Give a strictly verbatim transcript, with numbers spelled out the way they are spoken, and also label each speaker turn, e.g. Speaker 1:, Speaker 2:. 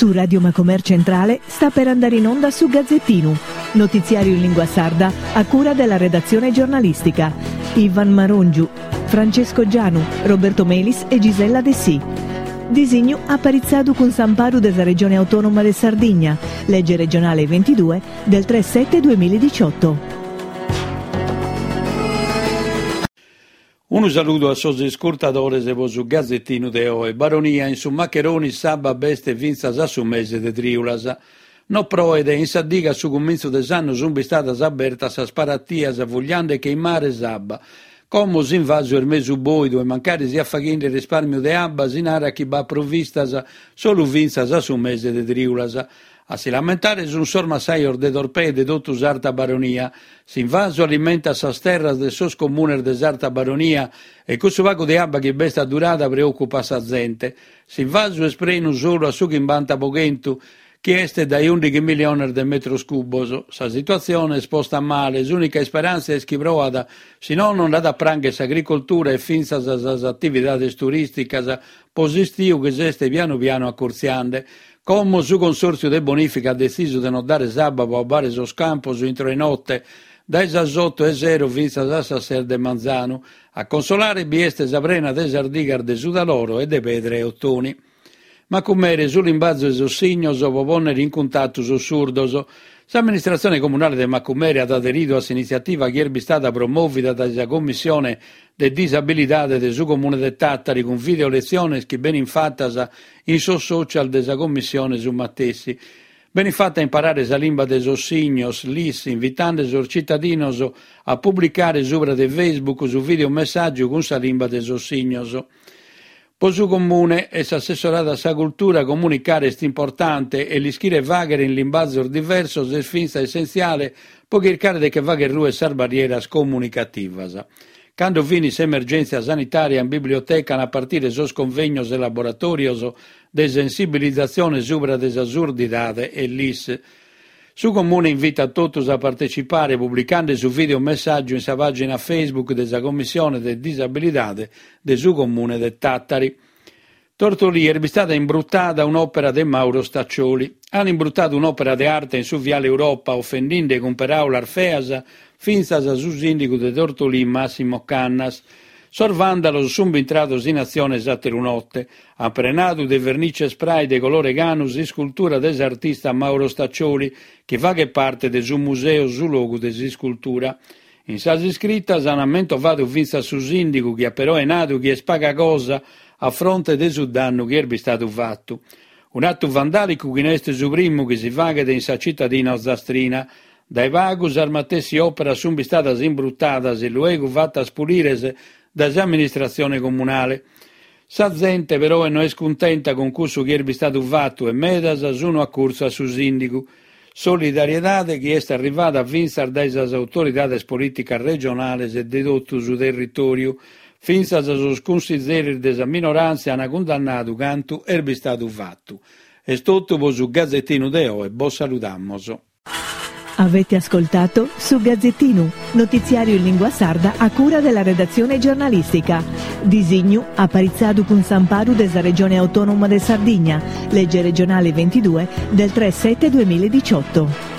Speaker 1: Su Radio Macomer Centrale sta per andare in onda su Gazzettinu, notiziario in lingua sarda a cura della redazione giornalistica. Ivan Marongiu, Francesco Gianu, Roberto Melis e Gisella Dessì. Disignu aparitzadu cun s'amparu de sa Regione Autonoma de Sardigna, legge regionale ventidue del tre sette duemiladiciotto.
Speaker 2: Unu saludu a sos iscurtadores po su Gazzettinu de oe. Baronia in su Maccheroni s'abba b'est fintzas a su mese de triulas. No proet, in sa diga a su cumintzu de s'annu sunt bistadas abertas sas parattias fugliande che in mare s'abba. Como s'invasu est mesu boidu e mancari siat faghende risparmiu de abba si narat chi b'at provvistas solu fintzas a su mese de triulas. A si lamentare sunt sos massajos de Torpè e de totu s'Arta Baronia. S'invasu alimentat sas terras de sos comunes de s'Arta Baronia e cussu pagu de abba chi b'est addurada preocupat sa zente. S'invasu est prenu solu a su chimbanta po chentu, chi est dae ùndighi miliones de metros cubos. Sa situatzione est posta male, s'ùnica isperàntzia est chi proat, si nono nd'at a prangher s'agricoltura e fintzas sas atividades turìsticas po s'istiu chi s'est pianu pianu acurtziande. Como su Consòrtziu de Bonìfica at detzisu de non dare s'abba po abbare sos campos intro 'e note, dae sas oto 'e sero fintzas a sas ses de manzanu. A consolare bi est sa prena de sas digas de su Taloro e de Pedra 'e Ottoni. Macumere su limbazu 'e sos signos po pònnere in cuntatu sos surdos. S'amministratzione comunale de Macumere at aderidu a s'initziativa chi est bistada promòvida dae sa Commissione de Disabilidade de su Comune de Tàtari cun videoletziones chi benint fatas in sos social de sa Commissione su matessi. Benit fata a imparare sa limba de sos signos, LIS, invitande sos citadinos a publicare subra de Facebook su videomessàgiu cun sa limba de sos signos. Po su Comune e s'assessoradu a sa cultura comunicare est importante e l'ischire fàghere in limbazos diversos est fintzas essentziale po chircare de che fagher ruer sas barrieras comunicativas. Cando finit s'emergèntzia sanitària in biblioteca an a partire sos convegnos e laboratòrios de sensibilizatzione subra de sa surdidade e LIS. Su Comune invitat totus a partecipare publicande su videomessàgiu in sa pàgina Facebook de sa Commissione de Disabilidade de su Comune de Tàtari. Tortolì est bistada imbrutada un'òpera de Mauro Staccioli. An imbrutadu un'òpera de arte in su Viale Europa, ofendinde cun peràulas feas fintzas su sìndigu de Tortolì Massimo Cannas. Sos vàndalos sunt bintrados in atzione s'àteru note. An prenadu de vernice spray de colore canu s'iscultura de s'artista Mauro Staccioli, chi faghet parte de su Museu Su Logu de s'Iscultura. In sas iscritas an mentovadu fintzas su sìndigu, chi at peroe nadu chi est paga cosa a fronte de su dannu chi est bistadu fatu. Un'atu vandàlicu chi no est su primu chi si faghet in sa citadina ozastrina. Dae pagu sas matessi òperas sunt bistadas imbrutadas e luego fatas pulires dae s'amministratzione comunale. Sa zente peroe no est cuntenta cun cussu chi est bistadu fatu e medas sunu acurtzu a su sìndigu. Solidariedade chi est arrivada fintzas dae sas autoridades polìticas regionales e de totu su territòriu. Fintzas sos cunsizeris de sa minoràntzia ant cundannadu cantu est bistadu fatu. Est totu po su Gazzettinu de oe, bos saludamos.
Speaker 1: Avete ascoltato su Gazzettinu, notiziario in lingua sarda a cura della redazione giornalistica. Disignu aparitzadu cun s'amparu de sa Regione Autonoma de Sardigna, legge regionale ventidue del tre sette duemiladiciotto.